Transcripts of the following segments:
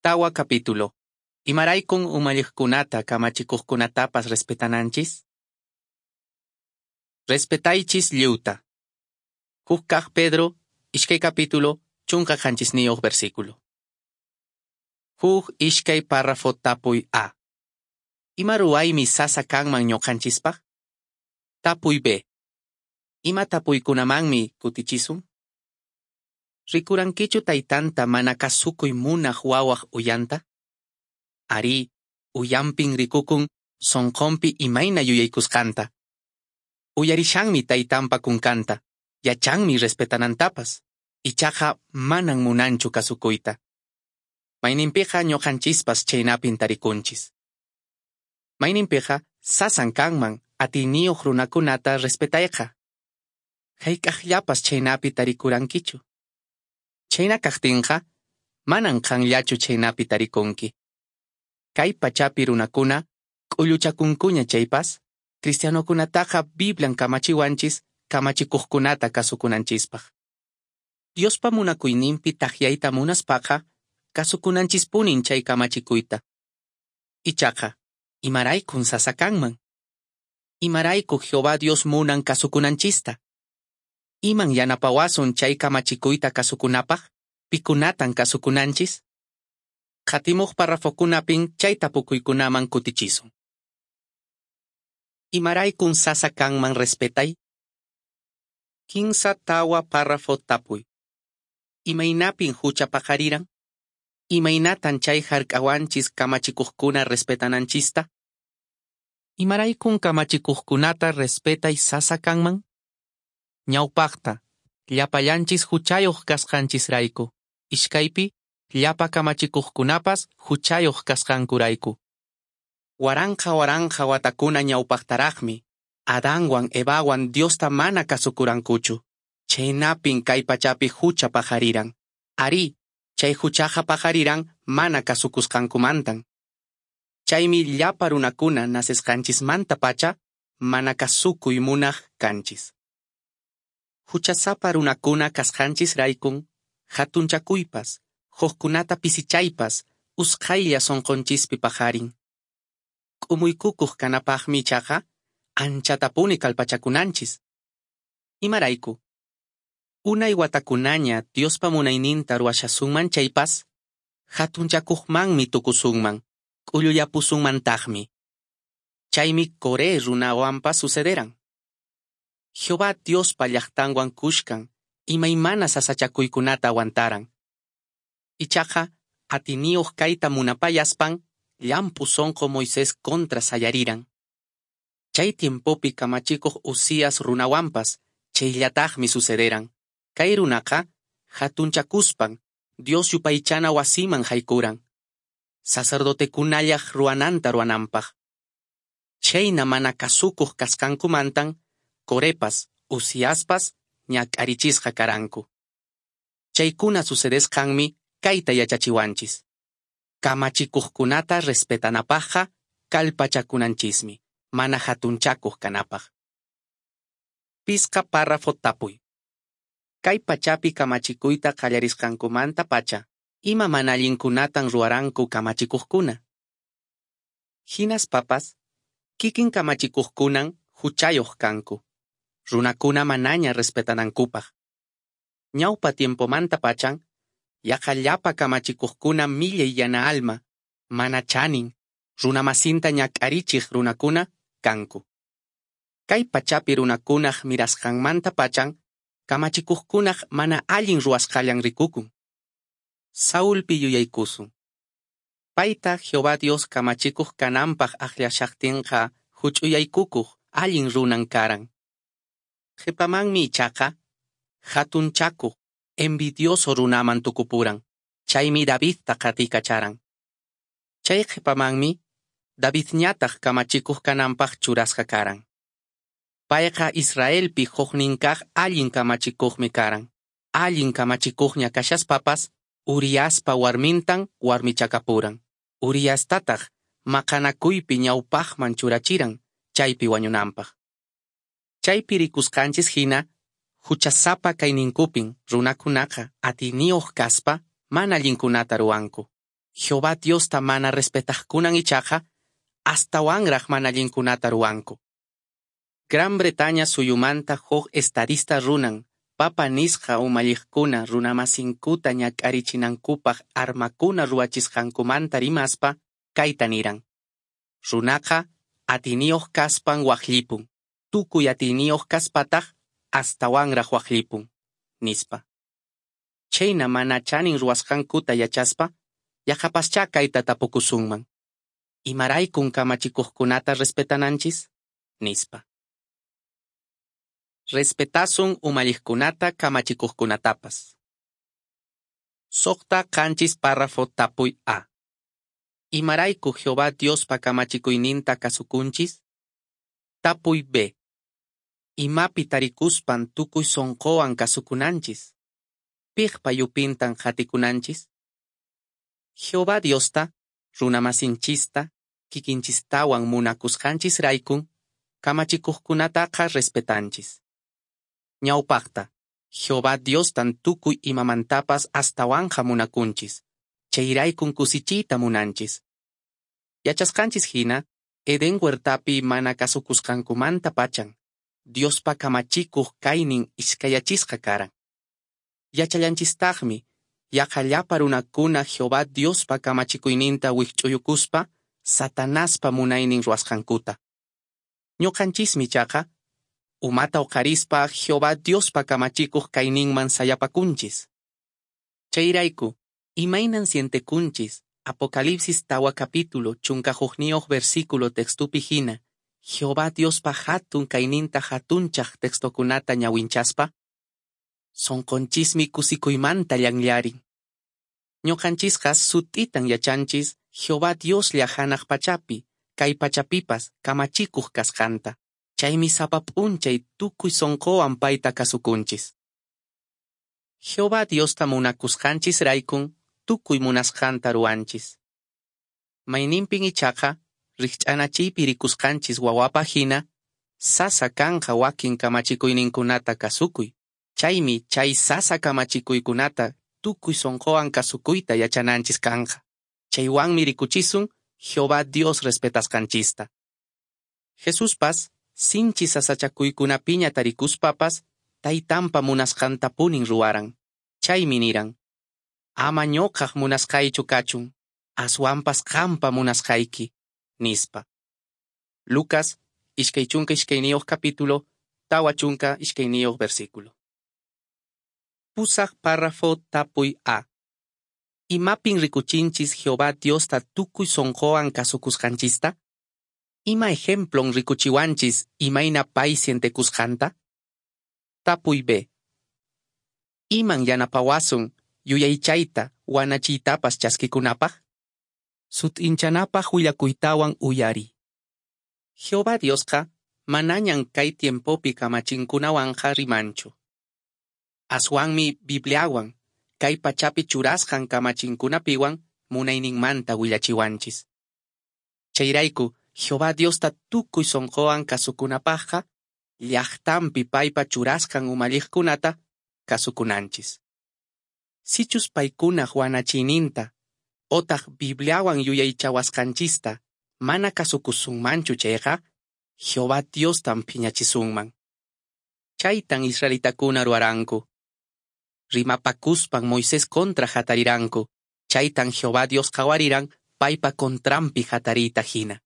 Tawa capítulo. Imaraykun umalliqkunata kamachikuqkunatapas respetananchis? Respetaychis lliwta. Huk kaq Pedro, iskay capítulo, 17 versículo. Huk iskay párrafo tapuy A. Ima ruwaymi sasa kanman ñuqanchispaq? Tapuy B. Ima tapuykunamanmi kutichisun? Rikurankichu taytanta mana kasukuy munaq wawaq uyanta? Arí, uyanpin rikukun sonqonpi imayna yuyaykusqanta. Uyarishanmi taytanpa kunkanta, yachanmi respetanantapas, ichaqa manan munanchu kasukuyta. Mayninpiqa ñuqanchispas chaynapin tarikunchis. Mayninpiqa sasan kanman atiyniyuq runakunata respetayqa. Hayk'aqllapas chaynapi tarikurankichu. Chayna kaqtinqa, manan qanllachu chaynapi tarikunki. Kay pachapi runakuna, k'ulluchakunkuña chaypas, cristianokunataqa Biblian kamachiwanchis kamachikuqkunata kasukunanchispaq. Diospa munakuyninpi takyayta munaspaqa, kasukunanchispunin chay kamachikuyta. Ichaqa, imaraykun sasa kanman? Imarayku Jehová Dios munan kasukunanchista? Iman yanapawasun chay kamachikuyta kasukunapaq? Pikunatan kasukunanchis? Qatimuq parrafokunapin chay tapukuykunaman kutichisun. Imaraykun sasa kanman respetay? 3 4 párrafo tapuy. Imaynapin hucha paqariran? Imaynatan chay hark'awanchis kamachikuqkuna respetananchista? Imaraykun kamachikuqkunata respetay sasa kanman? Ñawpaqta, llapallanchis huchayuq kasqanchisrayku. Iskaypi, llapa kamachikuqkunapas huchayuq kasqankurayku. Waranqa waranqa watakuna ñawpaqtaraqmi, Adanwan Evawan Diosta mana kasukurankuchu. Chaynapin kay pachapi hucha paqariran. Arí, chay huchaqa paqariran mana kasukusqankumantan. Chaymi llapa runakuna nacesqanchismantapacha mana kasukuy munaq kanchis. Huchasapa runakuna kasqanchisraykun, hatunchakuypas, hukkunata pisichaypas, usqhaylla sunqunchispi paqarin. K'umuykukuq kanapaqmi ichaqa, anchatapuni kallpachakunanchis. Imarayku? Unay watakunaña Diospa munayninta ruwashasunman chaypas, hatunchakuqmanmi tukusunman, k'ullullapusunmantaqmi. Chaymi Coré runawanpas sucederan. Jehová Diospa llaqtanwan kushkan, imaymana sasachakuykunata aguantaran. Ichaqa, atiniyuq kayta munapayaspan, llamp'u sunqu Moisés contra sayariran. Chay tiempopi kamachikuq Uzías runawanpas, chayllataqmi sucederan. Kay runaqa, hatunchakuspan, Dios yupaychana wasiman haykuran. Sacerdotekunallaq ruwananta ruwananpaq. Chayna mana kasukuq kasqankumantan, Corepas, Uziaspas, ñak'arichisqa karanku. Chaykuna sucedesqanmi kayta yachachiwanchis. Kamachikuqkunata respetanapaqqa kallpachakunanchismi, mana hatunchakuq kanapaq. 5 párrafo tapuy. Kay pachapi kamachikuyta qallarisqankumanta pacha, ima mana allinkunatan ruwaranku kamachikuqkuna? Hinaspapas, kikin kamachikuqkunan huchayuq kanku, runakuna manaña respetanankupaq. Ñawpa tiempomanta pachan, yaqa llapa kamachikuqkuna millay yana alma, mana chanin, runamasinta ñak'arichiq runakuna kanku. Kay pachapi runakunaq mirasqanmanta pachan, kamachikuqkunaq mana allin ruwasqallan rikukun. Saulpi yuyaykusun. Payta Jehová Dios kamachikuq kananpaq akllashaqtinqa huch'uyaykukuq allin runan karan. Qhipamanmi ichaqa, hatunchakuq, envidioso runaman tukupuran, chaymi Davidta qatikacharan. Chay qhipamanmi, Davidñataq kamachikuq kananpaq churasqa karan. Payqa Israelpi huknin kaq allin kamachikuqmi karan. Allin kamachikuqña kashaspapas, Uriaspa warmintan warmichakapuran. Uriastataq maqanakuypi ñawpaqman churachiran, chaypi wañunanpaq. Chaypi rikusqanchis hina, huchasapa kayninkupin runakunaqa atiyniyuq kaspa mana allinkunata ruwanku. Jehová Diosta mana respetaqkunan ichaqa astawanraq mana allinkunata ruwanku. Gran Bretaña suyumanta huk estadista runan, papa nisqa umalliqkuna runamasinkuta ñak'arichinankupaq armakuna ruwachisqankumanta rimaspa, kayta niran: Runaqa atiyniyoq kaspan waqllipun, tukuy atiyniyoq kaspataq astawanraq waqllipun, nispa. Chhayna mana chanin ruwasqankuta yachaspa, yaqapaschá kayta tapukusunman: Imaraykun kamachikuqkunata respetananchis? Nispa. Respetasun umalliqkunata kamachikuqkunatapas. 6 7 párrafo tapuy A. Imarayku Jehová Diospa kamachikuyninta kasukunchis? Tapuy B. Imapi tarikuspan tukuy sonqowan kasukunanchis? Piqpa yupintan qatikunanchis? Jehová Diosta, runamasinchista, kikinchistawan munakusqanchisraykun, kamachikuqkunataqa respetanchis. Ñawpaqta, Jehová Diostan tukuy imamantapas astawanqa munakunchis, chayraykun kusichiyta munanchis. Yachasqanchis hina, Edén huertapi mana kasukusqankumantapachan, Diospa kamachikuq kaynin iskayachisqa karan. Yachallanchistaqmi, yaqa llapa runakuna Jehová Diospa kamachikuyninta wikch'uyukuspa, Satanaspa munaynin ruwasqankuta. Ñuqanchismi ichaqa, umata uqarispa Jehová Diospa kamachikuq kayninman sayapakunchis. Chayrayku, imaynan sientekunchis Apocalipsis 4 capítulo 11 versículo textupi hina, Jehová Diospa hatun kayninta hatunchaq textokunata ñawinchaspa? Sonqonchismi kusikuymanta llanllarin. Ñuqanchisqa sut'itan yachanchis Jehová Dioslla hanaq pachapi, kay pachapipas kamachikuq kasqanta. Chaymi sapa p'unchay tukuy sonqowan payta kasukunchis. Jehová Diosta munakusqanchisraykun tukuy munasqanta ruwanchis. Mayninpin ichaqa rikch'anachiypi rikusqanchis wawapa hina, sasa kanqa wakin kamachikuyninkunata kasukuy. Chaymi chay sasa kamachikuykunata tukuy sonqowan kasukuyta yachananchis kanqa. Chaywanmi rikuchisun Jehová Dios respetasqanchista. Jesuspas sinchi sasachakuykunapiña tarikuspapas taytanpa munasqantapunin ruwaran. Chaymi niran: Ama ñuqaq munasqaychu kachun, aswanpas qampa munasqayki, nispa. Lucas, 22 capítulo, 42 versículo. 8 párrafo tapuy A. Imapin rikuchinchis Jehová Diosta tukuy sonqowan kasukusqanchista? Ima ejemplon rikuchiwanchis imayna pay sientekusqanta? Tapuy B. Iman yanapawasun yuyaychayta wanachiytapas chaskikunapaq? Sut'inchanapaq willakuytawan uyariy. Jehová Diosqa manañan kay tiempopi kamachinkunawanqa rimanchu. Aswanmi Bibliawan, kay pachapi churasqan kamachinkunapiwan munayninmanta willachiwanchis. Chayrayku, Jehová Diosta tukuy sonqowan kasukunapaqqa, llaqtanpi paypa churasqan umalliqkunata kasukunanchis. Sichus paykunaq wanachiyninta, otaq Bibliawan yuyaychawasqanchista mana kasukusunmanchu chayqa, Jehová Diostan phiñachisunman. Chaytan israelitakuna ruwaranku. Rimapakuspan Moisés contra hatariranku, chaytan Jehová Dios qhawariran paypa contranpi hatariyta hina.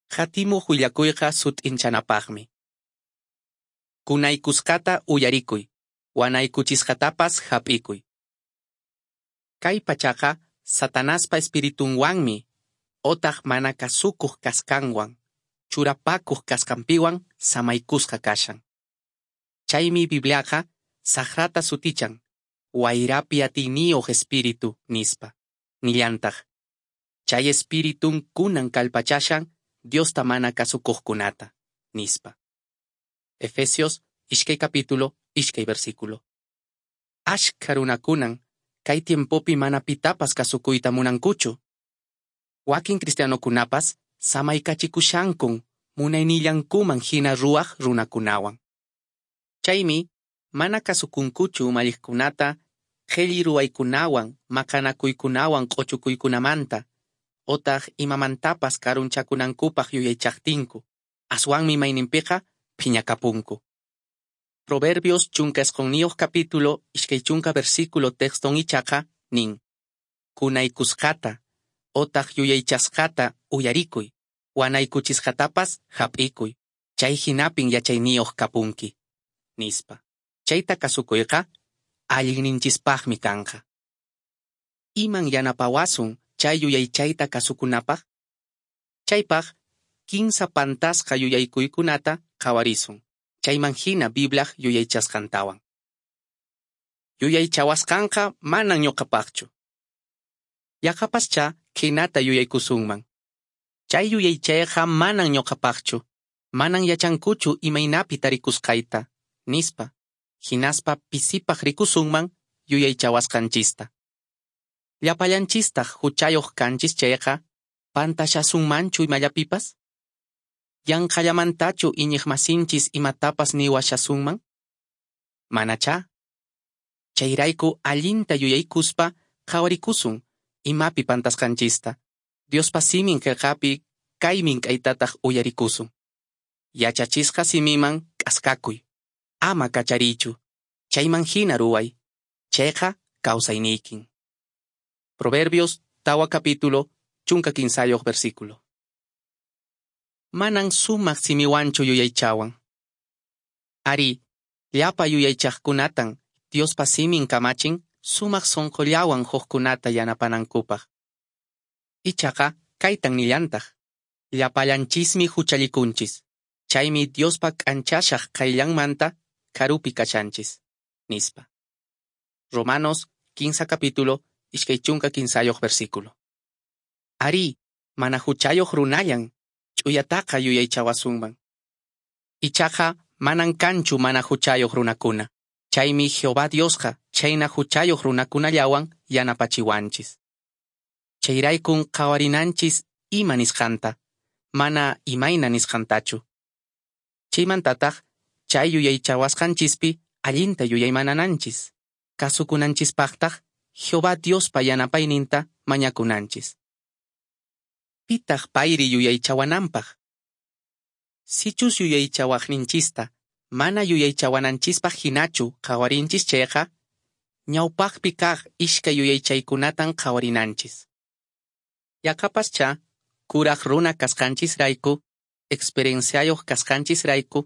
Qatimuq willakuyqa sut'inchanapaqmi. Kunaykusqata uyarikuy, wanaykuchisqatapas hap'ikuy. Kay pachaqa Satanaspa espiritunwanmi, otaq mana kasukuq kasqanwan, churapakuq kasqanpiwan samaykusqa kashan. Chaymi Bibliaqa saqrata sutichan, wayrapi atiyniyuq espíritu nispa. Nillantaq, chay espiritun kunan kallpachashan Diosta mana kasukuqkunata, nispa. Efesios, 2 capítulo, 2 versículo. Ashkha runakunan kay tiempopi mana pitapas kasukuyta munankuchu. Wakin cristianokunapas samaykachikushankun munaynillankuman hina ruwaq runakunawan. Chaymi mana kasukunkuchu umalliqkunata qhelli ruwaykunawan, maqanakuykunawan q'ochukuykunamanta, otaq imamantapas karunchakunankupaq yuyaychaqtinku, aswanmi mayninpiqa phiñakapunku. Proverbios 19 capítulo 20 versículo texton ichaqa nin: Kunaykusqata otaq yuyaychasqata uyarikuy, wanaykuchisqatapas hap'ikuy, chay hinapin yachayniyuq kapunki, nispa. Chayta kasukuyqa allinninchispaqmi kanqa. Iman yanapawasun chay yuyaychayta kasukunapaq? Chaypaq kinsa pantasqa yuyaykuykunata qhawarisun, chayman hina Bibliaq yuyaychasqantawan. Yuyaychawasqanqa manan ñuqapaqchu. Yaqapaschá khaynata yuyaykusunman: Chay yuyaychayqa manan ñuqapaqchu, manan yachankuchu imaynapi tarikusqayta, nispa. Hinaspa pisipaq rikusunman yuyaychawasqanchista. Llapallanchistaq huchayuq kanchis chayqa, pantashasunmanchu imallapipas? Yanqallamantachu iñiqmasinchis imatapas niwashasunman? Manachá. Chayrayku allinta yuyaykuspa qhawarikusun imapi pantasqanchista. Diospa simin qillqapi kay mink'aytataq uyarikusun: Yachachisqa simiman k'askakuy, ama kachariychu, chayman hina ruway, chayqa kawsayniykin. Proverbios 4 capítulo 13 versículo. Manan sumaq simiwanchu yuyaychawan. Ari, llapa yuyaychaqkunatan Diospa simin kamachin sumaq sonqollawan hukkunata yanapanankupaq. Ichaqa kaytan nillantaq: Llapallanchismi huchallikunchis, chaymi Diospa k'anchashaq qayllanmanta karupi kashanchis, nispa. Romanos 15 capítulo 23 versículo. Ari, mana huchayuq runallan ch'uyataqa yuyaychawasunman. Ichaqa manan kanchu mana huchayuq runakuna, chaymi Jehová Diosqa chhayna huchayuq runakunallawan yanapachiwanchis. Chayraykun qhawarinanchis ima nisqanta, mana imayna nisqantachu. Chaymantataq chay yuyaychawasqanchispi allinta yuyaymanananchis, kasukunanchispaqtaq Jehová Diospa yanapayninta mañakunanchis. Pitaq payri yuyaychawananpaq? Sichus yuyaychawaqninchista mana yuyaychawananchispaq hinachu qhawarinchis chayqa, ñawpaqpi kaq iskay yuyaychaykunatan qhawarinanchis. Yaqapaschá kuraq runa kasqanchisrayku, experienciayuq kasqanchisrayku,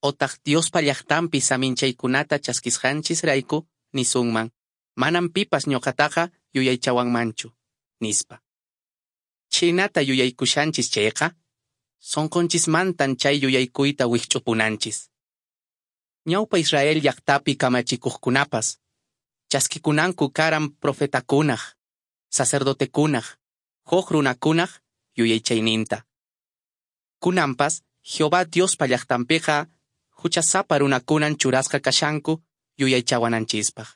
otaq Diospa llaqtanpi saminchaykunata chaskisqanchisrayku nisunman: Manan pipas ñuqataqa yuyaychawanmanchu, nispa. Chhaynata yuyaykushanchis chayqa, sonqonchismantan chay yuyaykuyta wikch'upunanchis. Ñawpa Israel llaqtapi kamachikuqkunapas chaskikunanku karan profetakunaq, sacerdotekunaq, huk runakunaq yuyaychayninta. Kunanpas Jehová Diospa llaqtanpiqa huchasapa runakunan churasqa kashanku yuyaychawananchispaq.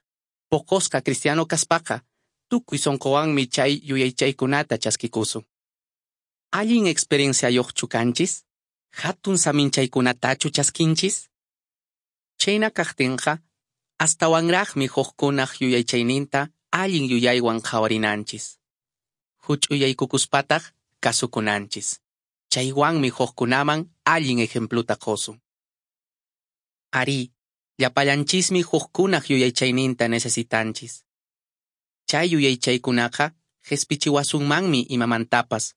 Poqosqa cristiano kaspaqa tukuy sonqowanmi chay yuyaychaykunata chaskikusun. Allin experienciayuqchu kanchis? Hatun saminchaykunatachu chaskinchis? Chhayna kaqtinqa, astawanraqmi hukkunaq yuyaychayninta allin yuyaywan qhawarinanchis. Huch'uyaykukuspataq kasukunanchis. Chaywanmi hukkunaman allin ejempluta qosun. Ari, llapallanchismi hukkunaq yuyaychayninta necesitanchis. Chay yuyaychaykunaqa qhispichiwasunmanmi imamantapas,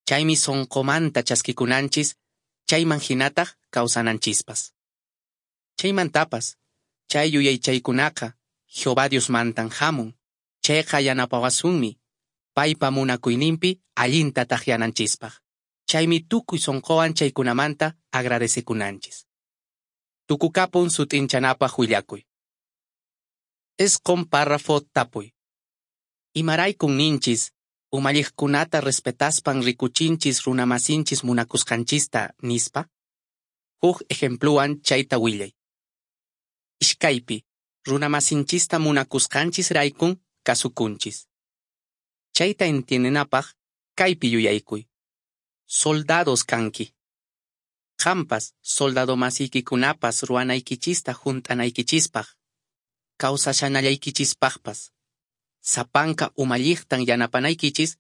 chaymi sonqomanta chaskikunanchis, chayman hinataq kawsananchispas. Chaymantapas, chay yuyaychaykunaqa Jehová Diosmantan hamun, chayqa yanapawasunmi paypa munakuyninpi allinta takyananchispaq. Chaymi tukuy sonqowan chaykunamanta agradecekunanchis. Tukukapun sut'inchanapaq willakuy. 9 párrafo tapuy. Imaraykun ninchis umalliqkunata respetaspan rikuchinchis runamasinchis munakusqanchista nispa? Huk ejempluwan chayta willay. Iskaypi, runamasinchista munakusqanchisraykun kasukunchis. Chayta entiendenapaq kaypi yuyaykuy. Soldados kanki. Qampas soldadomasiyki-kunapas ruwanaykichista hunt'anaykichispaq, kawsashanallaykichispaqpas Sapanka umalliqtan yanapanaykichis,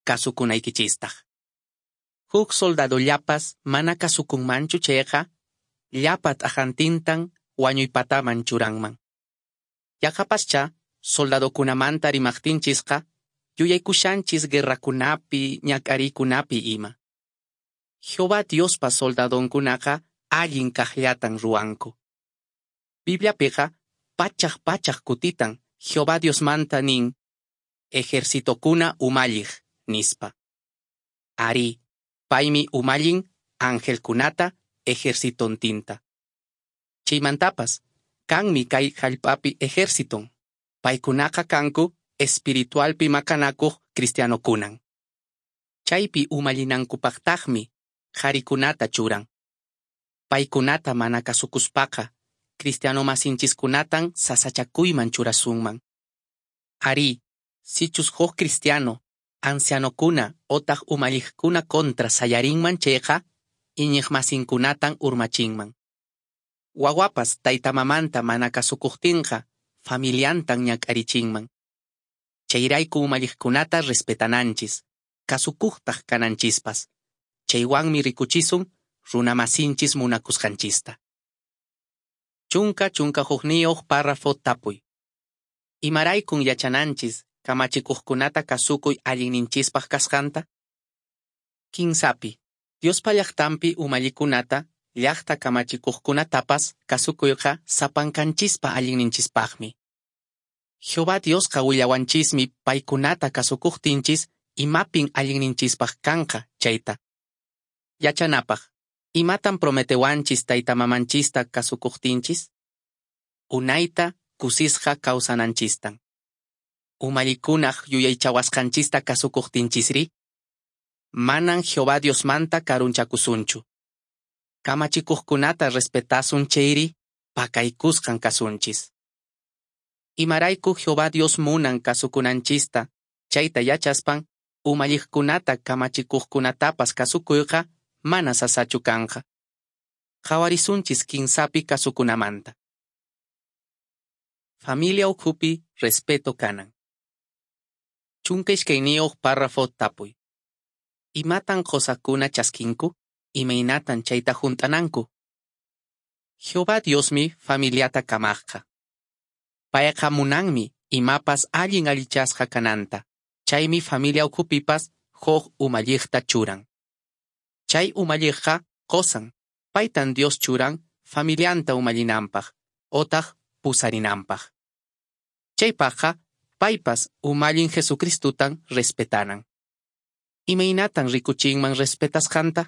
kasukunaykichistaq. Huk soldadollapas mana kasukunmanchu chayqa, llapa t'aqantintan wañuy pataman churanman. Yaqapaschá soldadokunamanta rimaqtinchisqa yuyaykushanchis guerrakunapi, ñak'ariykunapi ima. Jehová Diospa soldadonkunaqa allin kaqllatan ruwanku. Bibliapiqa pachak pachak kutitan Jehová Diosmanta nin ejercitokuna umalliq nispa. Arí, paymi umallin angelkunata ejercitontinta. Chaymantapas, kanmi kay hallp'api ejerciton. Paykunaqa kanku espiritualpi maqanakuq cristianokunan. Chaypi umallinankupaqtaqmi qharikunata churan. Paykunata mana kasukuspaqa, cristiano masinchiskunatan sasachakuyman churasunman. Arí, sichus huk cristiano, ancianokuna otaq umalliqkuna contra sayarinman chayqa, iñiqmasinkunatan urmachinman. Wawapas tayta mamanta mana kasukuqtinqa, familiantan ñak'arichinman. Chayrayku umalliqkunata respetananchis, kasukuqtaq kananchispas. Chaywanmi rikuchisun runamasinchis munakusqanchista. 11 párrafo tapuy. Imaraykun yachananchis kamachikuqkunata kasukuy allinninchispaq kasqanta? Kinsapi, Diospa llaqtanpi umallikunata, llaqta kamachikuqkunatapas kasukuyqa sapankanchispa allinninchispaqmi. Jehová Diosqa willawanchismi paykunata kasukuqtinchis imapin allinninchispaq kanqa chayta. Yachanapaq, imatan prometewanchis tayta mamanchista kasukuqtinchis? Unayta kusisqa kawsananchistan. Umallikunaq yuyaychawasqanchista kasukuqtinchisri? Manan Jehová Diosmanta karunchakusunchu. Kamachikuqkunata respetasun chayri, pakaykusqan kasunchis. Imarayku Jehová Dios munan kasukunanchista, chayta yachaspan, umalliqkunata kamachikuqkunatapas kasukuyqa mana sasachu kanqa. Qhawarisunchis kinsapi kasukunamanta. Familia ukhupi respeto kanan. 12 párrafo tapuy. Imatan qosakuna chaskinku? Imaynatan chayta hunt'ananku? Jehová Diosmi familiata kamaqqa. Payqa munanmi imapas allin allichasqa kananta. Chaymi familia ukhupipas huk umalliqta churan. Chay umalliqqa qosan, paytan Dios churan familianta umallinanpaq, otaq pusarinanpaq. Chaypaqqa paypas umallin Jesucristutan respetanan. Imaynatan rikuchinman respetasqanta?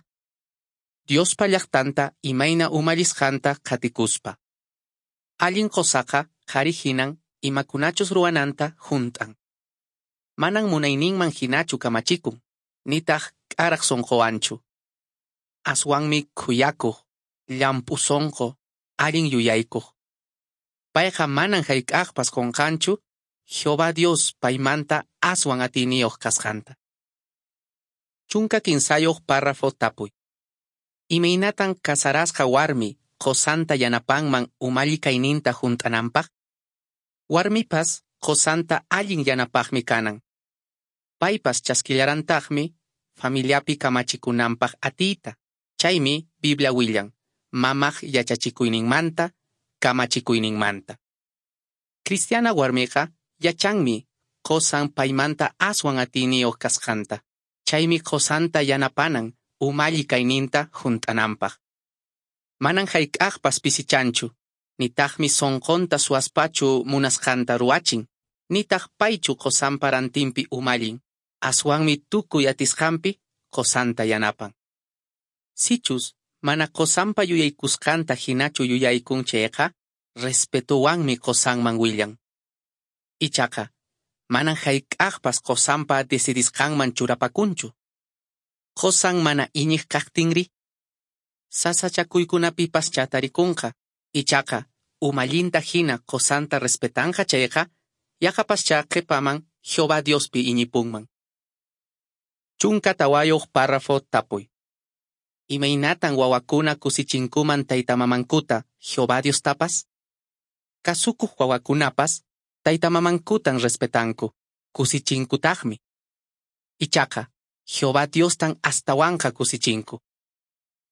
Diospa llaqtanta imayna umallisqanta qatikuspa. Allin qosaqa qhari hinan imakunachus ruwananta hunt'an. Manan munayninman hinachu kamachikun, nitaq k'araq sunquwanchu. Aswanmi khuyakuq, llamp'u sunqu, allin yuyaykuq. Payqa manan hayk'aqpas qunqanchu Jehová Dios paymanta aswan atiyniyuq kasqanta. 13 párrafo tapuy. Imaynatan casarasqa warmi qosanta yanapanman umalli kayninta hunt'ananpaq? Warmipas qosanta allin yanapaqmi kanan. Paypas chaskillarantaqmi familiapi kamachikunanpaq atiyta. Chaymi Biblia willan, mamaq yachachikuyninmanta, kamachikuyninmanta. Cristiana warmiqa yachanmi qosan paymanta aswan atiyniyuq kasqanta. Chaymi qosanta yanapanan umalli kayninta hunt'ananpaq. Manan hayk'aqpas pisichanchu, nitaqmi sunqunta suwaspachu munasqanta ruwachin, nitaq paychu qosanpa rantinpi umallin, aswanmi tukuy atisqanpi qosanta yanapan. Sichus mana qosanpa yuyaykusqanta hinachu yuyaykun chayqa, respetuwanmi qosanman willan. Ichaqa, manan hayk'aqpas qosanpa decidisqanman churapakunchu. Qosan mana iñiq kaqtinri, sasachakuykunapipaschá tarikunqa, ichaqa umallinta hina qosanta respetanqa chayqa, yaqapaschá qhipaman Jehová Diospi iñipunman. 14 párrafo tapuy. Imaynatan wawakuna kusichinkuman taytamamankuta Jehová Diostapas? Kasukuq wawakunapas taytamamankutan respetanku. kusichinkutaqmi. Ichaqa, Jehová Diostan astawanqa kusichinku.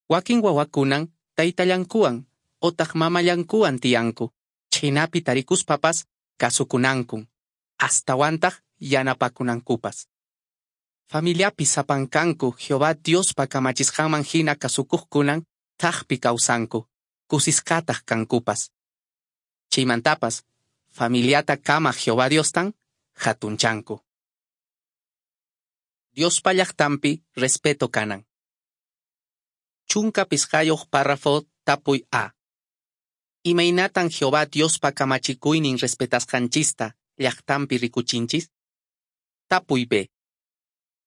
Wakin wawakunan taytallankuwan otaq mamallankuwan tiyanku, chhaynapi tarikuspapas kasukunankun, astawantaq yanapakunankupas. Familiapi sapankanku Jehová Diospa kamachisqanman hina kasukuqkunan thakpi kawsanku, kusisqataq kankupas. Chaymantapas, familiata kamaq Jehová Diostan hatunchanku. Diospa llaqtanpi respeto kanan. 15 párrafo tapuy A. Imaynatan Jehová Diospa kamachikuynin respetasqanchista llaqtanpi rikuchinchis? Tapuy B.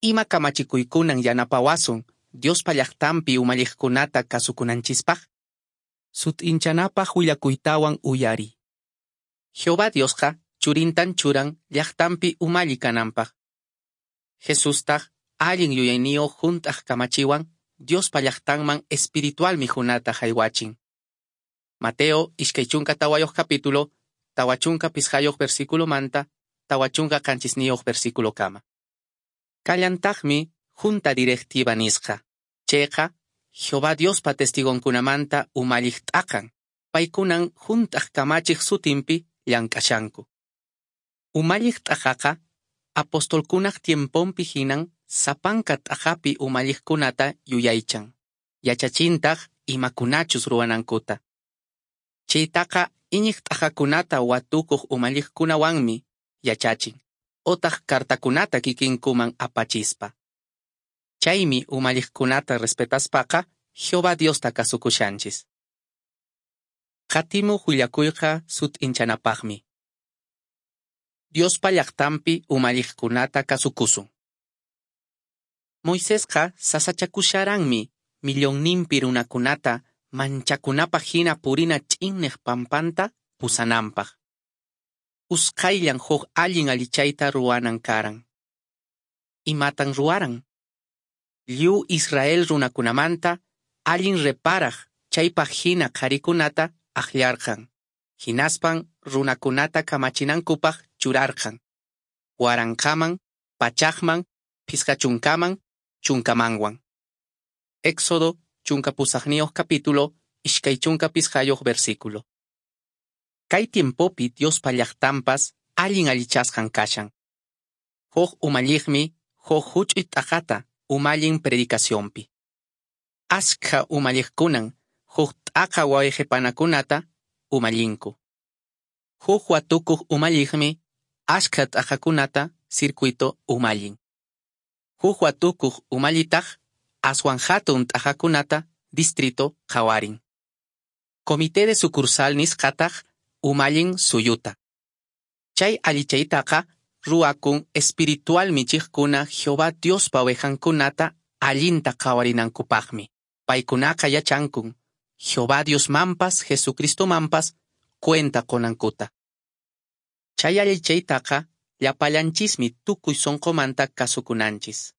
Ima kamachikuykunan yanapawasun Diospa llaqtanpi umalliqkunata kasukunanchispaq? Sut'inchanapaq willakuytawan uyariy. Jehová Diosqa churintan churan llaqtanpi umalli kananpaq. Jesustaq allin yuyayniyuq hunt'aq kamachiwan Diospa llaqtanman espiritual mikhunata haywachin. Mateo 24 capítulo, 45 versículo manta, 47 versículo kama. Kallantaqmi junta directiva nisqa. Chayqa, Jehová Diospa testigonkunamanta umalliq t'aqan, paykunan hunt'aq kamachiq sutinpi llank'ashanku. Umalliq t'aqaqa, apostolkunaq tiemponpi hinan sapanka t'aqapi umalliqkunata yuyaychan, yachachintaq imakunachus ruwanankuta. Chaytaqa iñiq t'aqakunata watukuq umalliqkunawanmi yachachin, otaq cartakunata kikinkuman apachispa. Chaymi umalliqkunata respetaspaqa Jehová Diosta kasukushanchis. Qatimuq willakuyqa sut'inchanapaqmi. Diospa llaqtanpi umalliqkunata kasukusun. Moisesqa sasachakusharanmi millonninpi runakunata manchakunapaq hina purina ch'inneq pampanta pusananpaq. Usqhayllan huk allin allichayta ruwanan karan. Imatan ruwaran? Lliw Israel runakunamanta allin reparaq chaypaq hina qharikunata akllarqan. Hinaspan runakunata kamachinankupaq churarqan. Waranqaman, pachaqman, phisqachunkaman, chunkamanwan. Éxodo 18 capítulo, 25 versículo. Kay tiempopi Diospa llaqtanpas allin allichasqan kashan. Huk umalliqmi huk huch'uy t'aqata umallin predicacionpi. Askha umalliqkunan huk t'aqa wayqipanakunata umallinku. Huk watukuq umalliqmi askha t'aqakunata circuito umallin. Huk watukuq umallitaq aswan hatun t'aqakunata distrito qhawarin. Comité de sucursal nisqataq umallin suyuta. Chay allichaytaqa ruwakun espiritual michiqkuna Jehová Diospa ovejankunata allinta qhawarinankupaqmi. Paykunaqa yachankun Jehová Diosmanpas Jesucristomanpas cuenta qunankuta. Chay allichaytaqa llapallanchismi tukuy sunqumanta kasukunanchis.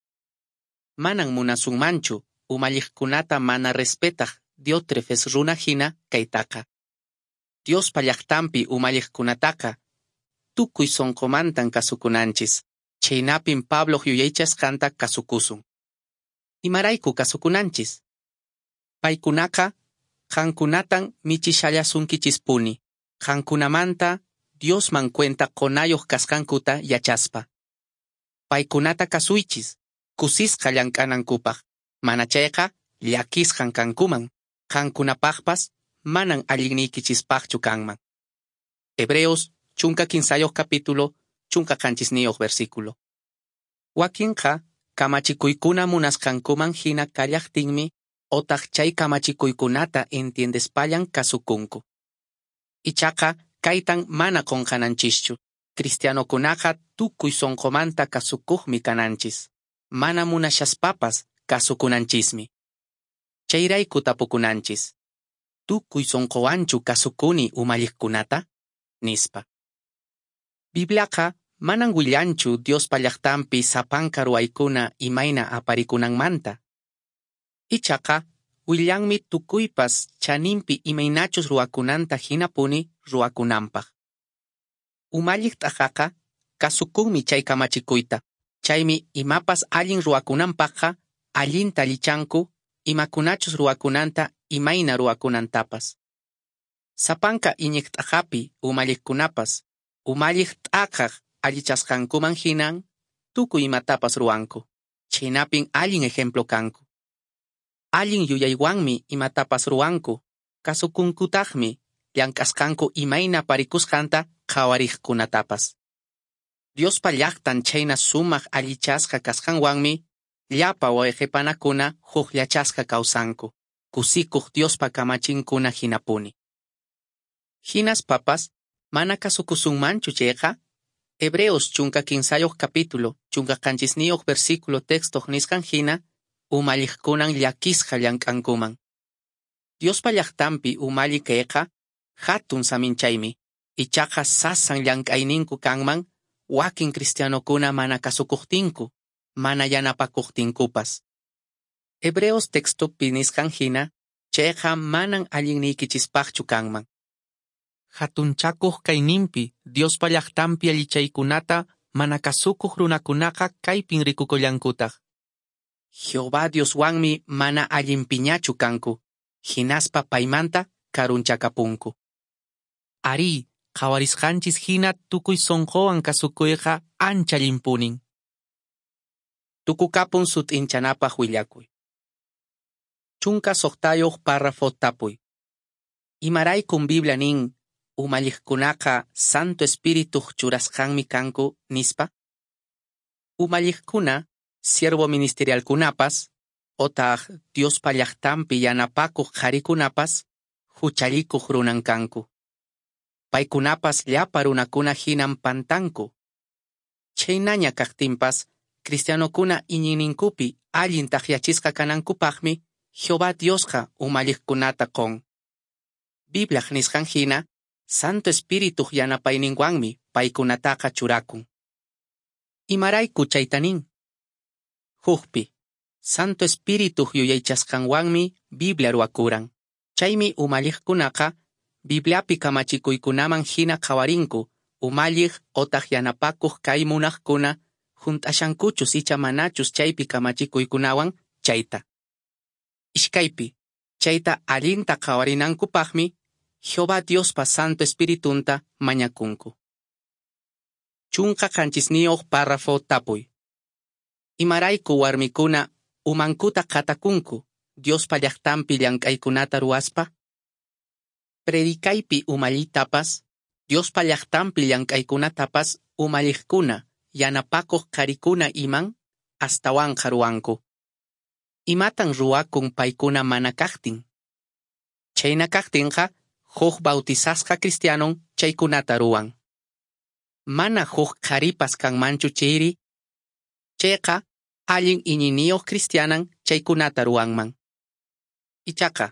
Manan munasunmanchu umalliqkunata mana respetaq Diótrefes runa hina kaytaqa. Diospa llaqtanpi umalliqkunataqa tukuy sunqumantan kasukunanchis. Chaynapin Pabloq yuyaychasqanta kasukusun. Imarayku kasukunanchis? Paykunaqa qankunatan michishallasunkichispuni, qankunamanta Diosman cuenta qunayuq kasqankuta yachaspa. Paykunata kasuychis, kusisqa llank'anankupaq, mana chayqa llakisqan kankuman, qankunapaqpas manan allinniykichispaqchu kanman. Hebreos 13 capítulo, 17 versículo. Wakinqa kamachikuykuna munasqankuman hina kallaqtinmi otaq chay kamachikuykunata entiendespallan kasukunku. Ichaqa kaytan mana qunqananchischu. Cristianokunaqa tukuy sunqumanta kasukuqmi kananchis. Mana munashaspapas kasukunanchismi. Chayrayku tapukunanchis. Tukuy sunquwanchu kasukuni umalliqkunata? Nispa. Bibliaqa manan willanchu Diospa llaqtanpi sapanka ruwaykuna imayna aparikunanmanta. Ichaqa willanmi tukuypas chaninpi imaynachus ruwakunanta hinapuni ruwakunanpaq. Umalliq t'aqaqa kasukunmi chay kamachikuyta, chaymi imapas allin ruwakunanpaqqa allinta allichanku imakunachus ruwakunanta imayna ruwakunantapas. Sapanka iñiq t'aqapi umalliqkunapas umalliq t'aqaq allichasqankuman hinan tukuy imatapas ruwanku, chhaynapin allin ejemplo kanku. Allin yuyaywanmi imatapas ruwanku, kasukunkutaqmi llank'asqanku imayna parikusqanta qhawariqkunatapas. Diospa llaqtan chhayna sumaq allichasqa kasqanwanmi llapa wayqe-panakuna hukllachasqa kawsanku, kusikuq Diospa kamachinkuna hinapuni. Hinaspapas mana kasukusunmanchu chayqa, Hebreos 13 capítulo, 17 versículo textoq nisqan hina, umalliqkunan llakisqa llank'ankuman. Diospa llaqtanpi umalli kayqa hatun saminchaymi, ichaqa sasan llank'ayninku kanman wakin cristianokuna mana kasukuqtinku, mana yanapakuqtinkupas. Hebreos textopi nisqan hina, chayqa manan allinniykichispaqchu kanman. Hatunchakuq kayninpi Diospa llaqtanpi allichaykunata mana kasukuq runakunaqa kaypin rikukullankutaq. Jehová Dioswanmi mana allinpiñachu kanku, hinaspa paymanta karunchakapunku. Arí, qhawarisqanchis hina tukuy sonqowan kasukuyqa ancha allinpunin. Tukukapun sut'inchanapaq willakuy. 16 párrafo tapuy. Imaraykun Biblia nin umalliqkunaqa Santo Espirituq churasqanmi kanku nispa? Umalliqkuna, siervo ministerialkunapas, otaq Diospa llaqtanpi yanapakuq qharikunapas, huchallikuq runan kanku. Paykunapas llapa runakuna hinan pantanku. Chhaynaña kaqtinpas, cristianokuna iñiyninkupi allin takyachisqa kanankupaqmi Jehová Diosqa umalliqkunata qon. Bibliaq nisqan hina, Santo Espirituq yanapayninwanmi paykunataqa churakun. Imarayku chayta nin? Hukpi, Santo Espirituq yuyaychasqanwanmi Biblia ruwakuran. Chaymi umalliqkunaqa Bibliapi kamachikuykunaman hina qhawarinku umalliq otaq yanapakuq kay munaqkuna hunt'ashankuchus icha manachus chaypi kamachikuykunawan chayta. Iskaypi, chayta allinta qhawarinankupaqmi Jehová Diospa Santo Espiritunta mañakunku. 17 párrafo tapuy. Imarayku warmikuna umankuta qhatakunku Diospa llaqtanpi llank'aykunata ruwaspa? Predicaypi umallitapas, Diospa llaqtanpi llank'aykunatapas umalliqkuna, yanapakuq qharikuna iman astawanqa ruwanku. Imatan ruwakun paykuna mana kaqtin? Chhayna kaqtinqa huk bautizasqa cristianon chaykunata ruwan. Mana huk qharipas kanmanchu chayri? Chayqa allin iñiyniyuq cristianan chaykunata ruwanman. Ichaqa,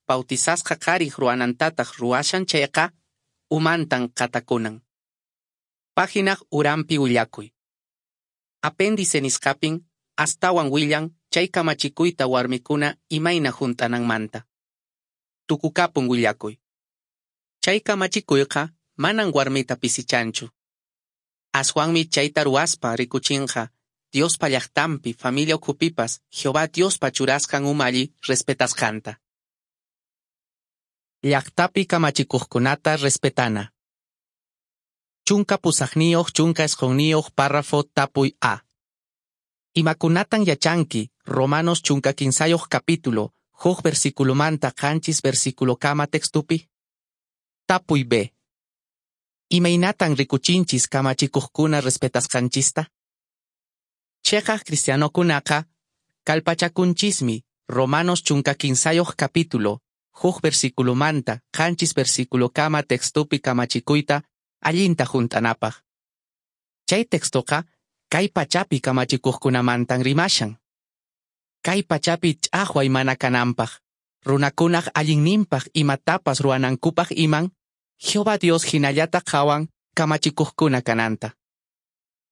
bautizasqa qhariq ruwanantataq ruwashan chayqa, umantan qhatakunan. Páginaq uranpi willakuy. Apéndice nisqapin astawan willan chay kamachikuyta warmikuna imayna hunt'ananmanta. Tukukapun willakuy. Chay kamachikuyqa manan warmita pisichanchu. Aswanmi chayta ruwaspa rikuchinqa Diospa llaqtanpi familia ukhupipas Jehová Diospa churasqan umalli respetasqanta. Llaqtapi kamachikuqkunata respetana. 18 19 párrafo tapuy A. Imakunatan yachanki Romanos 15 capítulo, huk versículomanta 7 versículokama textupi? Tapuy B. Imaynatan rikuchinchis kamachikuqkuna respetasqanchista? Cheqaq cristianokunaqa kallpachakunchismi Romanos 15 capítulo, huk versículomanta 7 versículokama textupi kamachikuyta allinta hunt'anapaq. Chay textoqa kay pachapi kamachikuqkunamantan rimashan. Kay pachapi ch'aqway mana kananpaq, runakunaq allinninpaq imatapas ruwanankupaq iman, Jehová Dios hinallata qhawan kamachikuqkuna kananta.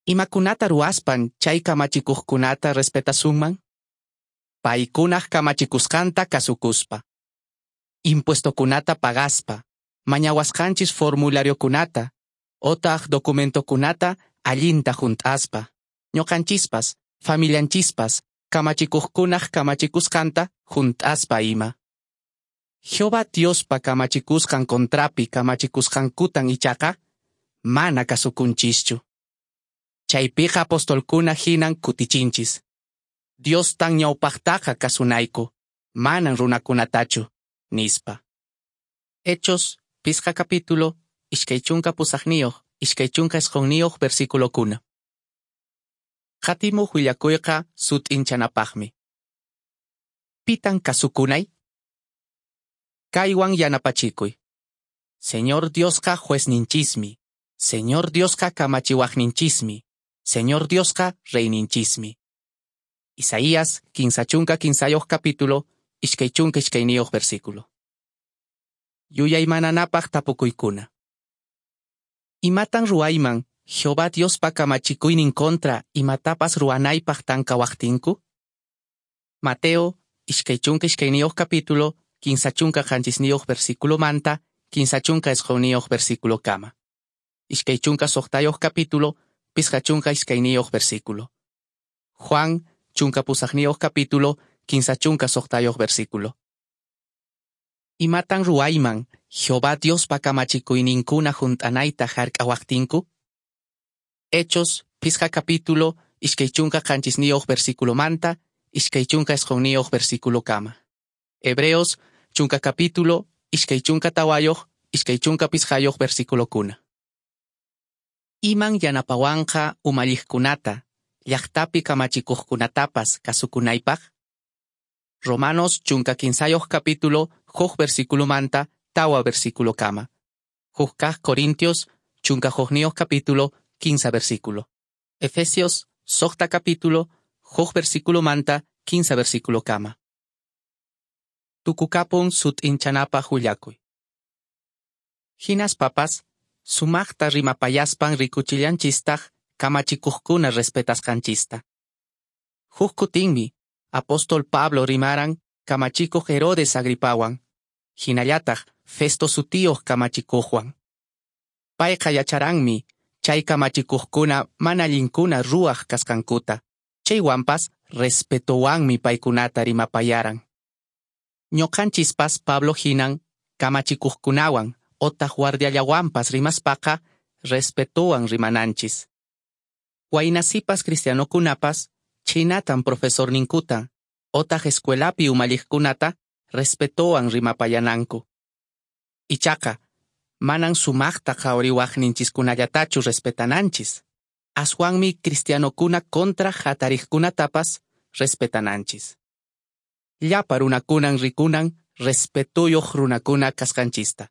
Imakunata ruwaspan chay kamachikuqkunata respetasunman? Paykunaq kamachikusqanta kasukuspa. Impuestokunata pagaspa, mañawasqanchis formulariokunata, otaq documentokunata allinta hunt'aspa. Ñuqanchispas, familianchispas, kamachikuqkunaq kamachikusqanta hunt'aspa ima. Jehová Diospa kamachikusqan contrapi kamachikusqankutan ichaqa mana kasukunchischu. Chaypiqa apostolkuna hinan kutichinchis. Diostan ñawpaqtaqa kasunayku, manan runakunatachu, nispa. Hechos, pisqa capítulo, 28, 29 versículokuna. Qatimuq willakuyqa sut'inchanapaqmi. Pitan kasukunay? Kaywan yanapachikuy. Señor Diosqa juezninchismi. Señor Diosqa kamachiwaqninchismi. Señor Diosqa reyninchismi. Isaías 33 capítulo, 22 versículo. Yuyaymananapaq tapukuykuna. Imatan ruwayman Jehová Diospa kamachikuynin contra imatapas ruwanaypaq tankawaqtinku? Mateo 22 capítulo, 37 versículo manta, 39 versículo kama. 26 capítulo, 52 versículo. Juan 18 capítulo, 36 versículo. Imatan ruwayman Jehová Diospa kamachikuyninkuna hunt'anayta hark'awaqtinku? Hechos, pisqa capítulo, 27 versículo manta, 29 versículo kama. Hebreos, 10 capítulo, 24, 25 versículo kuna. Iman yanapawanqa umalliqkunata, llaqtapi kamachikuqkunatapas kasukunaypaq? Romanos 15 capítulo, huk versículo manta, tawa versículo kama. Huk kaq Corintios, 11 capítulo, 15 versículo. Efesios, 6 capítulo, huk versículo manta, 15 versículo kama. Tukukapun sut'inchanapaq willakuy. Hinaspapas, sumaqta rimapayaspan rikuchillanchistaq kamachikuqkuna respetasqanchista. Huk kutinmi, apóstol Pablo rimaran kamachikuq Herodes Agripawan, hinallataq Festo sutiyuq kamachikuqwan. Payqa yacharanmi chay kamachikuqkuna mana allinkuna ruwaq kasqankuta, chaywanpas respetowanmi paykunata rimapayaran. Ñuqanchispas Pablo hinan kamachikuqkunawan otaq guardiallawanpas rimaspaqa respetowan rimananchis. Waynasipas cristianokunapas chhaynatan profesorninkuta otaq escuelapi umalliqkunata respetowan rimapayananku. Ichaqa, manan sumaqta qhawariwaqninchiskunallatachu respetananchis. Aswanmi cristianokuna contra hatariqkunatapas respetananchis. Llapa runakunan rikunan respetuyuq runakuna kasqanchista.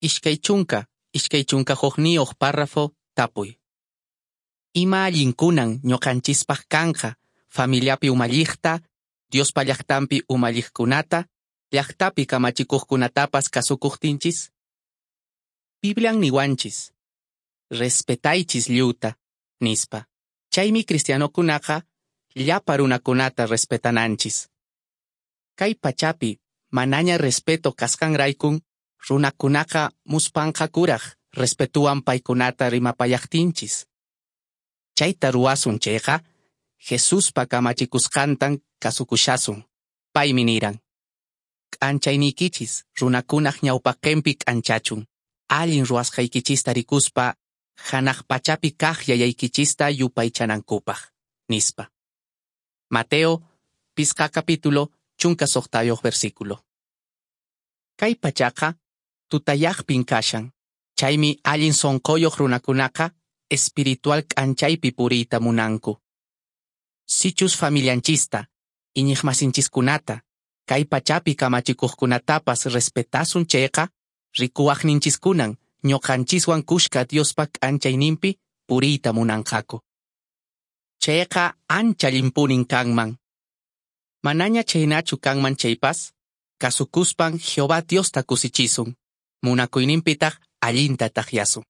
20, 21 párrafo tapuy. Ima allinkunan ñuqanchispaq kanqa familiapi umalliqta, Diospa llaqtanpi umalliqkunata, llaqtapi kamachikuqkunatapas kasukuqtinchis? Biblian niwanchis, respetaychis lliwta, nispa. Chaymi cristianokunaqa llapa runakunata respetananchis. Kay pachapi manaña respeto kasqanraykun runakunaqa muspanqakuraq respetuwan paykunata rimapayaqtinchis. Chayta ruwasun chayqa, Jesuspa kamachikusqantan kasukushasun. Paymi niran: K'anchayniykichis runakunaq ñawpaqinpi k'anchachun, allin ruwasqaykichista rikuspa hanaq pachapi kaq yayaykichista yupaychanankupaq, nispa. Mateo, pisqa capítulo, 16 versículo. Kay pachaqa tutayaqpin kashan, chaymi allin sonqoyuq runakunaqa espiritual k'anchaypi puriyta munanku. Sichus familianchista, iñiqmasinchiskunata, kay pachapi kamachikuqkunatapas respetasun chayqa, rikuwaqninchiskunan ñuqanchiswan kushka Diospa k'anchayninpi puriyta munanqaku. Chayqa ancha allinpunin kanman. Manaña chhaynachu kanman chaypas, kasukuspan Jehová Diosta kusichisun, munakuyninpitaq allinta takyasun.